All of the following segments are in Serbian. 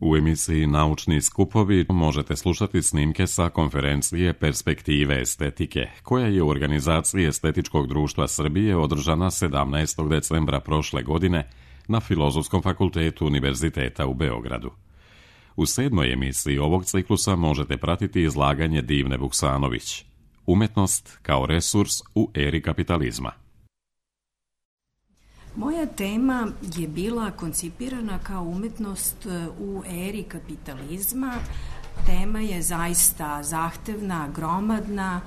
U emisiji Naučni skupovi možete slušati snimke sa konferencije Perspektive estetike, koja je u organizaciji Estetičkog društva Srbije održana 17. decembra prošle godine na Filozofskom fakultetu Univerziteta u Beogradu. U 7. emisiji ovog ciklusa možete pratiti izlaganje Divne Vuksanović, Umetnost kao resurs u eri kapitalizma. Moja tema je bila koncipirana kao umetnost u eri kapitalizma. Tema je zaista zahtevna, gromadna,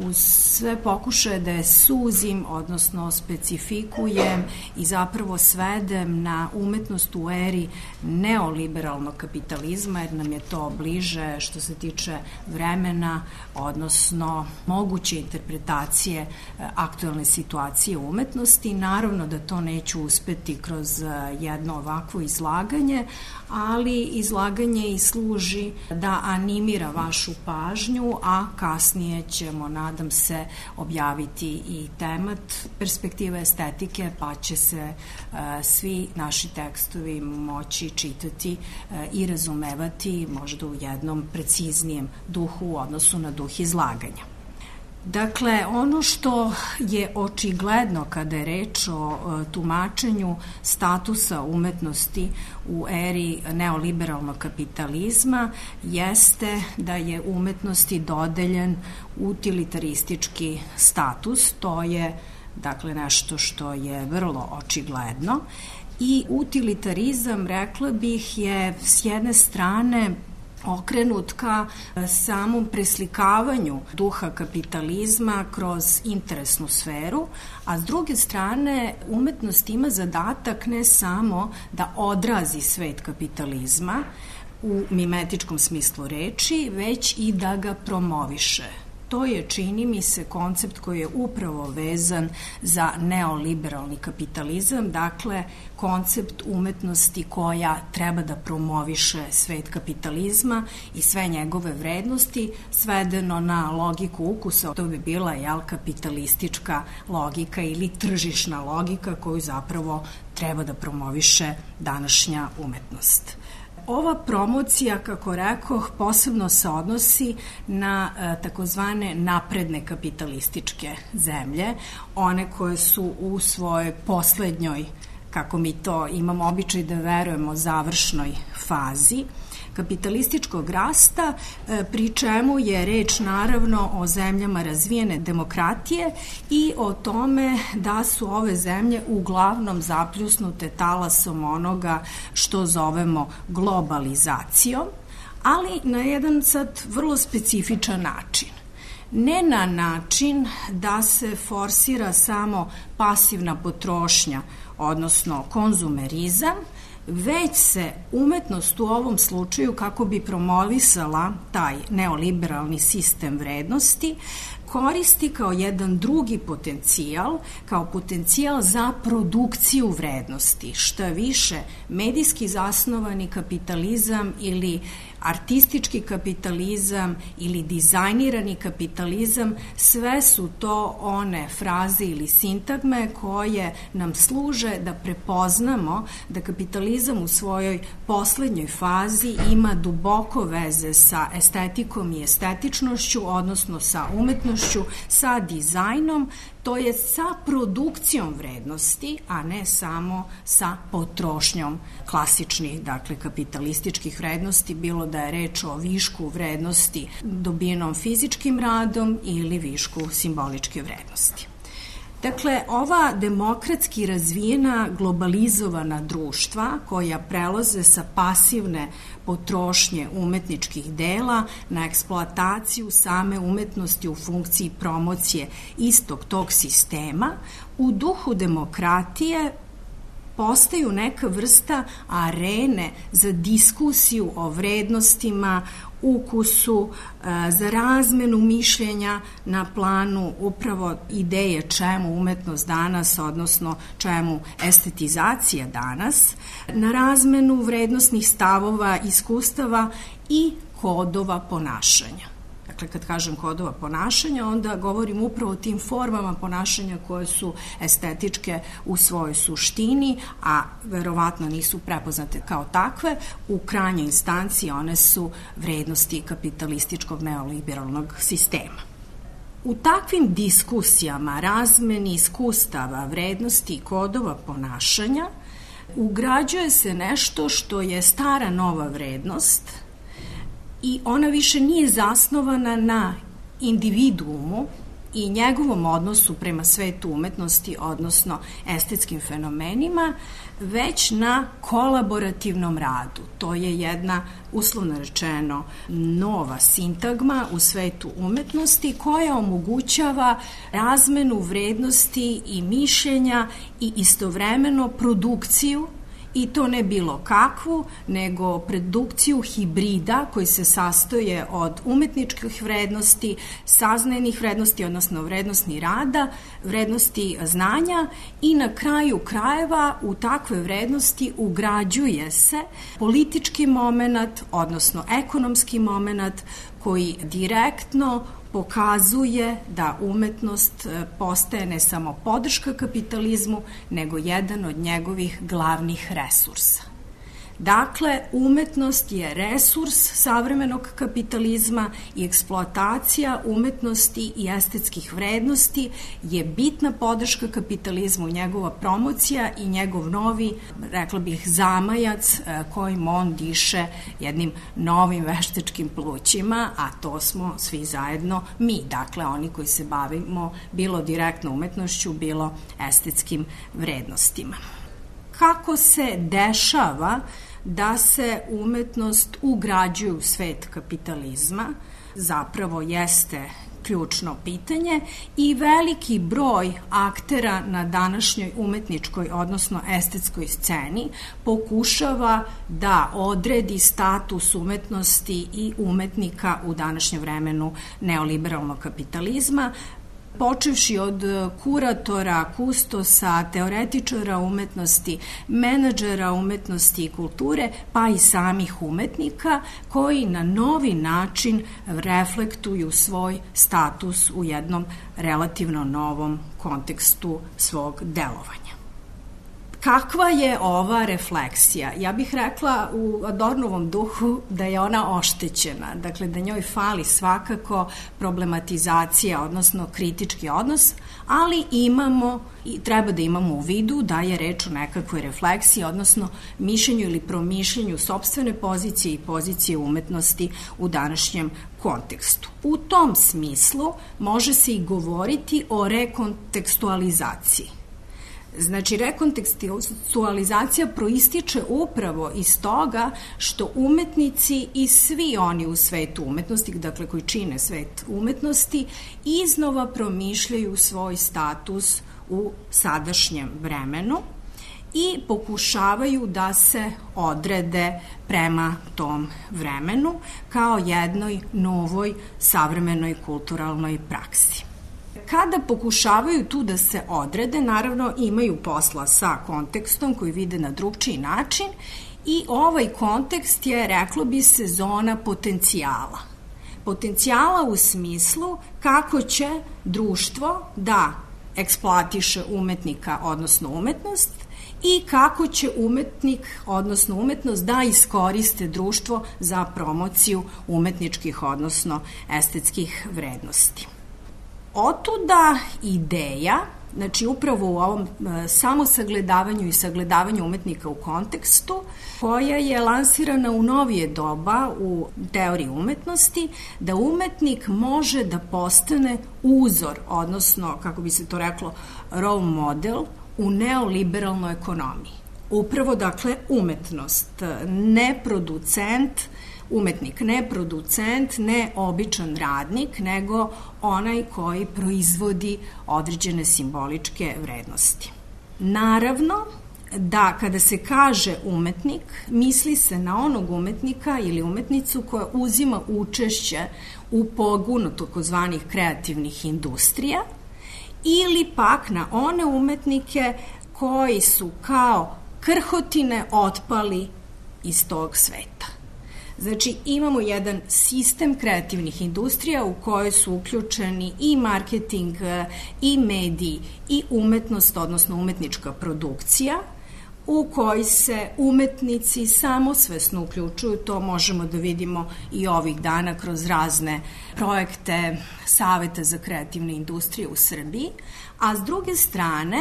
uz sve pokušaje da je suzim, odnosno specifikujem i zapravo svedem na umetnost u eri neoliberalnog kapitalizma, jer nam je to bliže što se tiče vremena, odnosno moguće interpretacije aktuelne situacije umetnosti. Naravno da to neću uspeti kroz jedno ovakvo izlaganje, ali izlaganje i služi da animira vašu pažnju, a kasnije ćemo, nadam se, objaviti i temat Perspektive estetike, pa će se svi naši tekstovi moći čitati i razumevati možda u jednom preciznijem duhu u odnosu na duh izlaganja. Dakle, ono što je očigledno kada je reč o tumačenju statusa umetnosti u eri neoliberalnog kapitalizma jeste da je umetnosti dodeljen utilitaristički status. To je, dakle, nešto što je vrlo očigledno. I utilitarizam, rekla bih, je s jedne strane okrenut ka samom preslikavanju duha kapitalizma kroz interesnu sferu, a s druge strane umetnost ima zadatak ne samo da odrazi svet kapitalizma u mimetičkom smislu reči, već i da ga promoviše. To je, čini mi se, koncept koji je upravo vezan za neoliberalni kapitalizam, dakle koncept umetnosti koja treba da promoviše svet kapitalizma i sve njegove vrednosti, svedeno na logiku ukusa. To bi bila kapitalistička logika ili tržišna logika koju zapravo treba da promoviše današnja umetnost. Ova promocija, kako rekoh, posebno se odnosi na takozvane napredne kapitalističke zemlje, one koje su u svojoj poslednjoj, kako mi to imamo običaj da verujemo, završnoj fazi kapitalističkog rasta, pri čemu je reč naravno o zemljama razvijene demokratije i o tome da su ove zemlje uglavnom zapljusnute talasom onoga što zovemo globalizacijom, ali na jedan sad vrlo specifičan način. Ne na način da se forsira samo pasivna potrošnja, odnosno konzumerizam, već se umetnost u ovom slučaju, kako bi promovisala taj neoliberalni sistem vrednosti, koristi kao jedan drugi potencijal, kao potencijal za produkciju vrednosti. Šta više, medijski zasnovani kapitalizam ili artistički kapitalizam ili dizajnirani kapitalizam, sve su to one fraze ili sintagme koje nam služe da prepoznamo da kapitalizam u svojoj poslednjoj fazi ima duboko veze sa estetikom i estetičnošću, odnosno sa umetnošću, sa dizajnom, to je sa produkcijom vrednosti, a ne samo sa potrošnjom klasičnih, dakle, kapitalističkih vrednosti, bilo da je reč o višku vrednosti dobijenom fizičkim radom ili višku simboličke vrednosti. Dakle, ova demokratski razvijena globalizovana društva koja prelaze sa pasivne potrošnje umetničkih dela na eksploataciju same umetnosti u funkciji promocije istog tog sistema, u duhu demokratije postaju neka vrsta arene za diskusiju o vrednostima, ukusu, za razmenu mišljenja na planu upravo ideje čemu umetnost danas, odnosno čemu estetizacija danas, na razmenu vrednosnih stavova, iskustava i kodova ponašanja. Dakle, kad kažem kodova ponašanja, onda govorim upravo o tim formama ponašanja koje su estetičke u svojoj suštini, a verovatno nisu prepoznate kao takve. U krajnjoj instanciji one su vrednosti kapitalističkog neoliberalnog sistema. U takvim diskusijama, razmeni iskustava, vrednosti i kodova ponašanja ugrađuje se nešto što je stara nova vrednost i ona više nije zasnovana na individuumu i njegovom odnosu prema svetu umetnosti, odnosno estetskim fenomenima, već na kolaborativnom radu. To je jedna, uslovno rečeno, nova sintagma u svetu umetnosti koja omogućava razmenu vrednosti i mišljenja i istovremeno produkciju, i to ne bilo kakvu, nego produkciju hibrida koji se sastoje od umetničkih vrednosti, saznajnih vrednosti, odnosno vrednosti rada, vrednosti znanja i na kraju krajeva u takve vrednosti ugrađuje se politički moment, odnosno ekonomski moment koji direktno pokazuje da umetnost postaje ne samo podrška kapitalizmu, nego jedan od njegovih glavnih resursa. Dakle, umetnost je resurs savremenog kapitalizma i eksploatacija umetnosti i estetskih vrednosti je bitna podrška kapitalizmu, njegova promocija i njegov novi, rekla bih, zamajac kojim on diše jednim novim veštačkim plućima, a to smo svi zajedno mi, dakle oni koji se bavimo bilo direktno umetnošću, bilo estetskim vrednostima. Kako se dešava da se umetnost ugrađuje u svet kapitalizma, zapravo jeste ključno pitanje i veliki broj aktera na današnjoj umetničkoj, odnosno estetskoj sceni pokušava da odredi status umetnosti i umetnika u današnjem vremenu neoliberalnog kapitalizma, počevši od kuratora, kustosa, teoretičara umetnosti, menadžera umetnosti i kulture, pa i samih umetnika koji na novi način reflektuju svoj status u jednom relativno novom kontekstu svog delovanja. Kakva je ova refleksija? Ja bih rekla u Adornovom duhu da je ona oštećena, dakle da njoj fali svakako problematizacija, odnosno kritički odnos, ali imamo i treba da imamo u vidu da je reč o nekakvoj refleksiji, odnosno mišljenju ili promišljenju sopstvene pozicije i pozicije umetnosti u današnjem kontekstu. U tom smislu može se i govoriti o rekontekstualizaciji. Znači, rekontekstualizacija proističe upravo iz toga što umetnici i svi oni u svetu umetnosti, dakle koji čine svet umetnosti, iznova promišljaju svoj status u sadašnjem vremenu i pokušavaju da se odrede prema tom vremenu kao jednoj novoj savremenoj kulturalnoj praksi. Kada pokušavaju tu da se odrede, naravno imaju posla sa kontekstom koji vide na drugčiji način i ovaj kontekst je, reklo bi se, zona potencijala. Potencijala u smislu kako će društvo da eksploatiše umetnika, odnosno umetnost, i kako će umetnik, odnosno umetnost, da iskoriste društvo za promociju umetničkih, odnosno estetskih vrednosti. Otuda ideja, znači upravo u ovom samosagledavanju i sagledavanju umetnika u kontekstu, koja je lansirana u novije doba u teoriji umetnosti, da umetnik može da postane uzor, odnosno, kako bi se to reklo, role model u neoliberalnoj ekonomiji. Upravo, dakle, umetnost, ne producent, umetnik, ne producent, ne običan radnik, nego onaj koji proizvodi određene simboličke vrednosti. Naravno da kada se kaže umetnik, misli se na onog umetnika ili umetnicu koja uzima učešće u pogonu takozvanih kreativnih industrija ili pak na one umetnike koji su kao krhotine otpali iz tog sveta. Znači, imamo jedan sistem kreativnih industrija u kojoj su uključeni i marketing, i mediji, i umetnost, odnosno umetnička produkcija, u koji se umetnici samosvesno uključuju. To možemo da vidimo i ovih dana kroz razne projekte Saveta za kreativne industrije u Srbiji, a s druge strane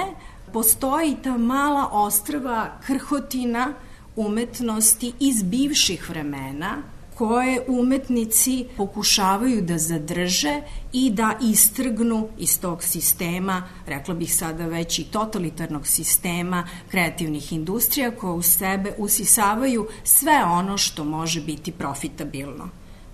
postoji ta mala ostrva krhotina umetnosti iz bivših vremena koje umetnici pokušavaju da zadrže i da istrgnu iz tog sistema, rekla bih sada već i totalitarnog sistema kreativnih industrija koje u sebe usisavaju sve ono što može biti profitabilno.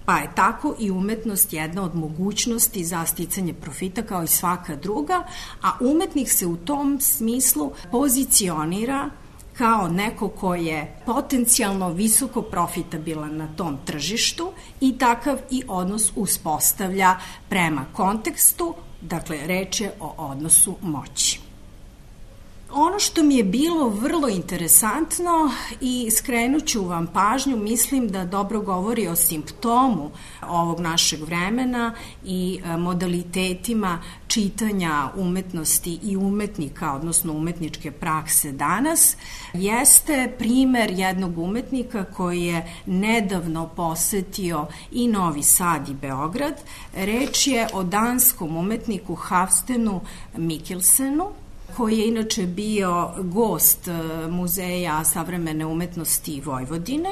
Pa je tako i umetnost jedna od mogućnosti za sticanje profita kao i svaka druga, a umetnik se u tom smislu pozicionira kao neko ko je potencijalno visoko profitabilan na tom tržištu i takav i odnos uspostavlja prema kontekstu, dakle reč je o odnosu moći. Ono što mi je bilo vrlo interesantno i skrenut ću vam pažnju, mislim da dobro govori o simptomu ovog našeg vremena i modalitetima čitanja umetnosti i umetnika, odnosno umetničke prakse danas, jeste primer jednog umetnika koji je nedavno posetio i Novi Sad i Beograd. Reč je o danskom umetniku Havstenu Mikkelsenu, koji je inače bio gost Muzeja savremene umetnosti Vojvodine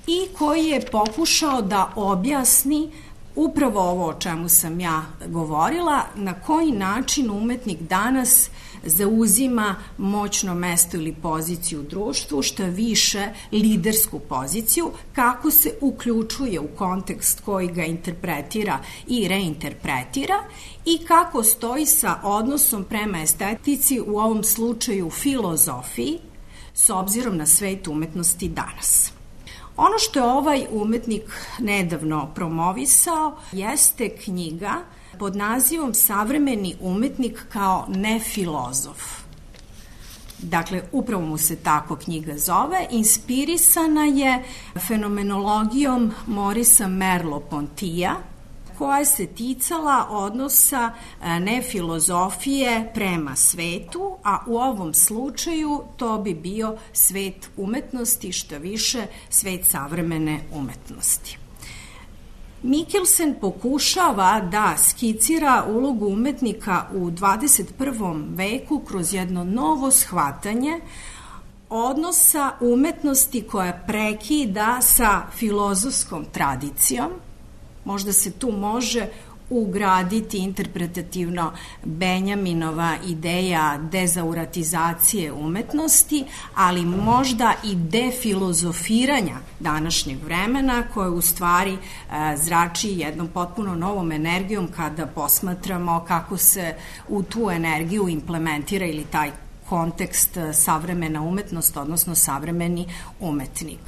i koji je pokušao da objasni upravo ovo o čemu sam ja govorila, na koji način umetnik danas zauzima moćno mesto ili poziciju u društvu, šta više lidersku poziciju, kako se uključuje u kontekst koji ga interpretira i reinterpretira i kako stoji sa odnosom prema estetici, u ovom slučaju filozofiji, s obzirom na svet umetnosti danas. Ono što je ovaj umetnik nedavno promovisao jeste knjiga pod nazivom Savremeni umetnik kao nefilozof. Dakle, upravo mu se tako knjiga zove. Inspirisana je fenomenologijom Morisa Merleau-Pontyja, koja se ticala odnosa nefilozofije prema svetu, a u ovom slučaju to bi bio svet umetnosti, što više svet savremene umetnosti. Mikkelsen pokušava da skicira ulogu umetnika u 21. veku kroz jedno novo shvatanje odnosa umetnosti koja prekida sa filozofskom tradicijom. Možda se tu može ugraditi interpretativno Benjaminova ideja dezauratizacije umetnosti, ali možda i defilozofiranja današnjeg vremena, koje u stvari zrači jednom potpuno novom energijom kada posmatramo kako se u tu energiju implementira ili taj kontekst savremena umetnost, odnosno savremeni umetnik.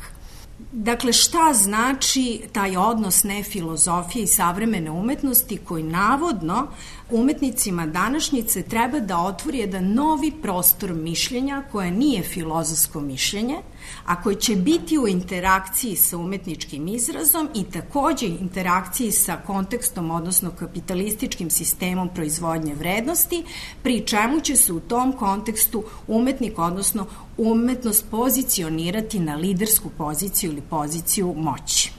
Dakle, šta znači taj odnos nefilozofije i savremene umetnosti koji navodno umetnicima današnjice treba da otvori jedan novi prostor mišljenja koje nije filozofsko mišljenje, a koji će biti u interakciji sa umetničkim izrazom i takođe interakciji sa kontekstom, odnosno kapitalističkim sistemom proizvodnje vrednosti, pri čemu će se u tom kontekstu umetnik, odnosno umetnost pozicionirati na lidersku poziciju ili poziciju moći.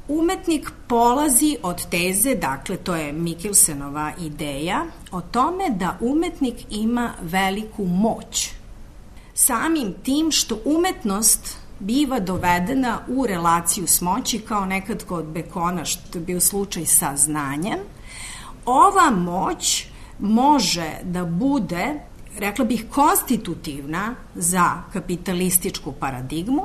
Umetnik polazi od teze, dakle to je Mikkelsenova ideja, o tome da umetnik ima veliku moć. Samim tim što umetnost biva dovedena u relaciju s moći, kao nekad kod Bekona, što je bio slučaj sa znanjem, ova moć može da bude, rekla bih, konstitutivna za kapitalističku paradigmu,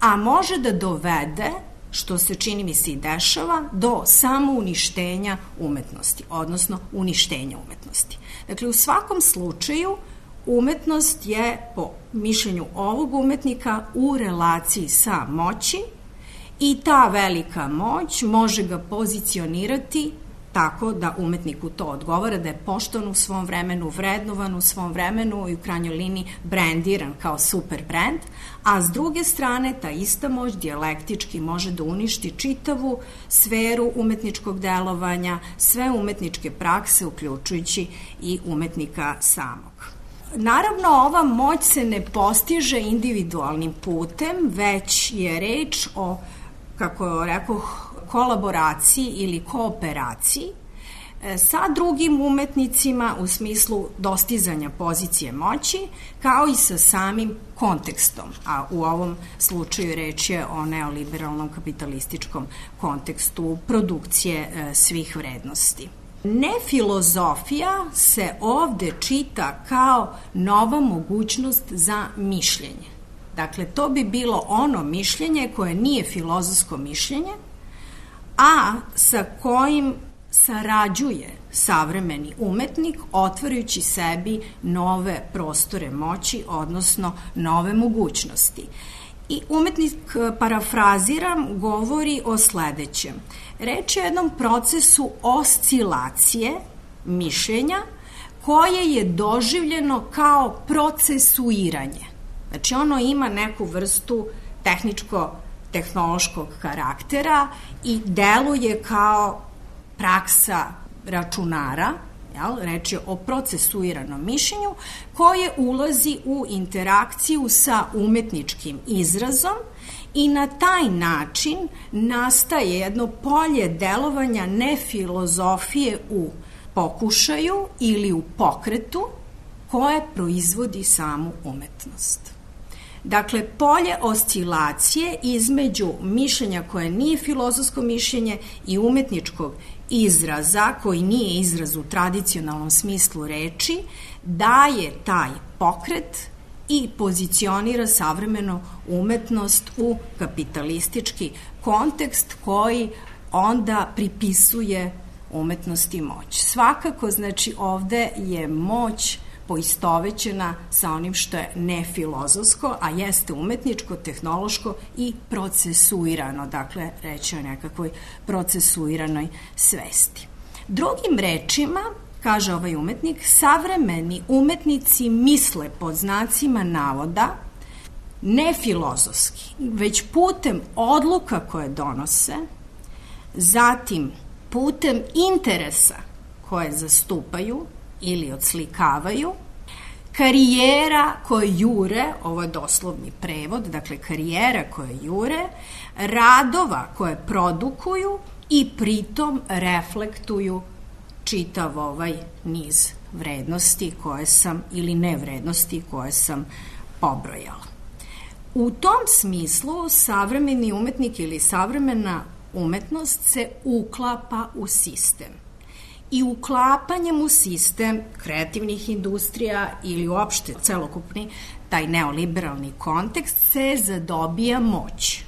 a može da dovede, što se čini mi se i dešava, do samouništenja umetnosti, odnosno uništenja umetnosti. Dakle, u svakom slučaju umetnost je, po mišljenju ovog umetnika, u relaciji sa moći i ta velika moć može ga pozicionirati tako da umetniku to odgovara, da je poštovan u svom vremenu, vrednovan u svom vremenu i u krajnjoj liniji brendiran kao super brend, a s druge strane ta ista moć dijalektički može da uništi čitavu sferu umetničkog delovanja, sve umetničke prakse, uključujući i umetnika samog. Naravno, ova moć se ne postiže individualnim putem, već je reč o, kako rekoh, kolaboraciji ili kooperaciji sa drugim umetnicima u smislu dostizanja pozicije moći, kao i sa samim kontekstom, a u ovom slučaju reč je o neoliberalnom kapitalističkom kontekstu produkcije svih vrednosti. Nefilozofija se ovde čita kao nova mogućnost za mišljenje. Dakle, to bi bilo ono mišljenje koje nije filozofsko mišljenje, a sa kojim sarađuje savremeni umetnik, otvarajući sebi nove prostore moći, odnosno nove mogućnosti. I umetnik, parafraziram, govori o sledećem. Reč je o jednom procesu oscilacije mišljenja koje je doživljeno kao procesuiranje. Znači, ono ima neku vrstu tehničko-tehnološkog karaktera i deluje kao praksa računara, reč je o procesuiranom mišljenju, koje ulazi u interakciju sa umetničkim izrazom i na taj način nastaje jedno polje delovanja nefilozofije u pokušaju ili u pokretu koje proizvodi samu umetnost. Dakle, polje oscilacije između mišljenja koje nije filozofsko mišljenje i umetničkog izraza, koji nije izraz u tradicionalnom smislu reči, daje taj pokret i pozicionira savremenu umetnost u kapitalistički kontekst koji onda pripisuje umetnosti moć. Svakako, znači, ovde je moć poistovećena sa onim što je nefilozofsko, a jeste umetničko, tehnološko i procesuirano, dakle, reći o nekakvoj procesuiranoj svesti. Drugim rečima, kaže ovaj umetnik, savremeni umetnici misle pod znacima navoda ne filozofski, već putem odluka koje donose, zatim putem interesa koje zastupaju ili odslikavaju, karijera koje jure, ovo je doslovni prevod, dakle karijera koje jure, radova koje produkuju i pritom reflektuju čitav ovaj niz vrednosti koje sam, ili nevrednosti koje sam pobrojala. U tom smislu savremeni umetnik ili savremena umetnost se uklapa u sistem. I uklapanjem u sistem kreativnih industrija ili uopšte celokupni taj neoliberalni kontekst se zadobija moć.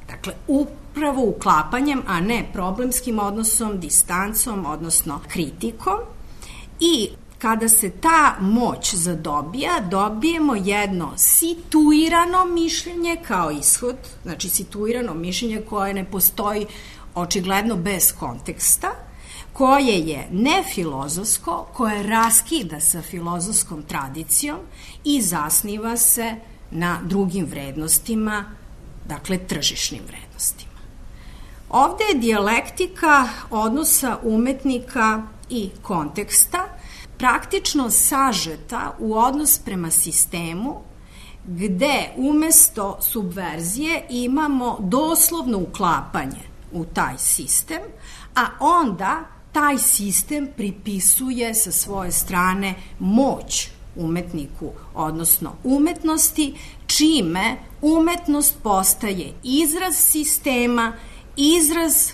Dakle, upravo uklapanjem, a ne problemskim odnosom, distancom, odnosno kritikom. I kada se ta moć zadobija, dobijemo jedno situirano mišljenje kao ishod, znači situirano mišljenje koje ne postoji očigledno bez konteksta, koje je nefilozofsko, koje raskida sa filozofskom tradicijom i zasniva se na drugim vrednostima, dakle tržišnim vrednostima. Ovde je dijalektika odnosa umetnika i konteksta praktično sažeta u odnos prema sistemu, gde umesto subverzije imamo doslovno uklapanje u taj sistem, a onda taj sistem pripisuje sa svoje strane moć umetniku, odnosno umetnosti, čime umetnost postaje izraz sistema, izraz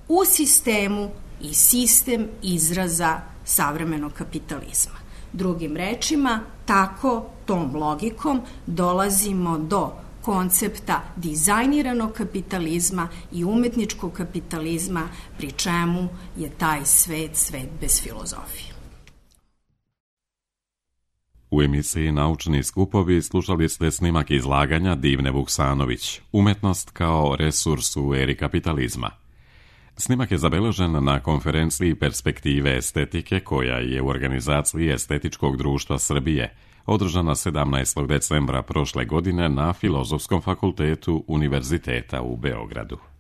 u sistemu i sistem izraza savremenog kapitalizma. Drugim rečima, tako tom logikom dolazimo do koncepta dizajniranog kapitalizma i umetničkog kapitalizma, pri čemu je taj svet bez filozofije. U emisiji Naučni skupovi slušali ste snimak izlaganja Divne Vuksanović, Umetnost kao resurs u eri kapitalizma. Snimak je zabeležen na konferenciji Perspektive estetike koja je u organizaciji Estetičkog društva Srbije održana 17. decembra prošle godine na Filozofskom fakultetu Univerziteta u Beogradu.